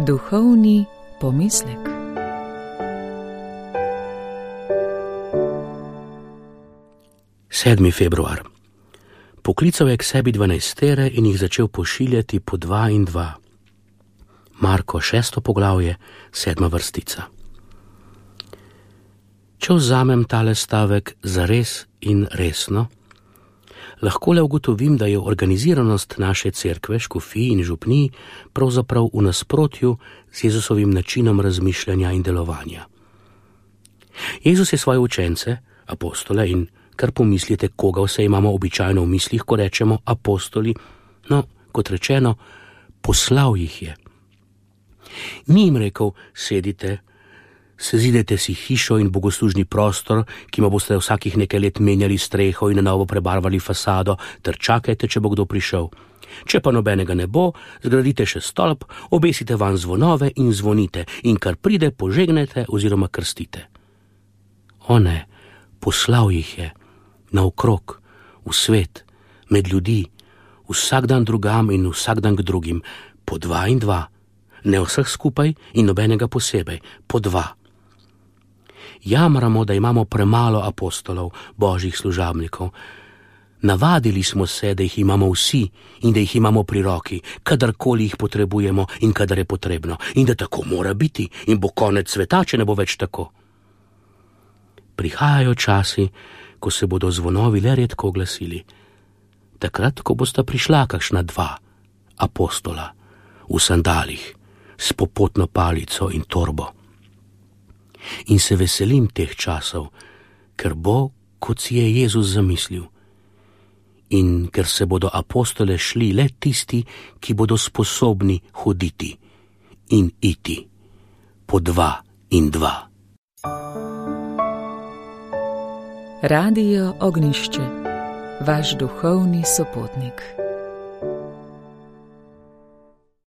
Duhovni pomislek. Sedmi februar. Poklical je k sebi 12 in jih začel pošiljati po 2 in 2. Marko 6. poglavje, 7. vrstica. Če vzamem tale stavek zares in resno, lahko le ugotovim, da je organiziranost naše cerkve, škofij in župnij pravzaprav v nasprotju z Jezusovim načinom razmišljanja in delovanja. Jezus je svoje učence, apostole, in kar pomislite, koga vse imamo običajno v mislih, ko rečemo apostoli, no, kot rečeno, poslal jih je. Ni jim rekel, sedite, sezidajte si hišo in bogoslužni prostor, ki ma boste vsakih nekaj let menjali streho in na novo prebarvali fasado, ter čakajte, če bo kdo prišel. Če pa nobenega ne bo, zgradite še stolp, obesite van zvonove in zvonite, in kar pride, požegnete oziroma krstite. O ne, poslal jih je naokrog, v svet, med ljudi, vsak dan drugam in vsak dan k drugim, po 2 in 2, ne vseh skupaj in nobenega posebej, po 2. Jamramo, da imamo premalo apostolov, božjih služabnikov. Navadili smo se, da jih imamo vsi in da jih imamo pri roki, kadarkoli jih potrebujemo in kadar je potrebno, in da tako mora biti in bo konec sveta, če ne bo več tako. Prihajajo časi, ko se bodo zvonovi le redko oglasili. Takrat, ko bosta prišla kakšna 2 apostola v sandalih, s popotno palico in torbo. In se veselim teh časov, ker bo, kot si je Jezus zamislil. In ker se bodo apostole šli le tisti, ki bodo sposobni hoditi in iti, po 2 in 2. Radio Ognjišče, vaš duhovni sopotnik.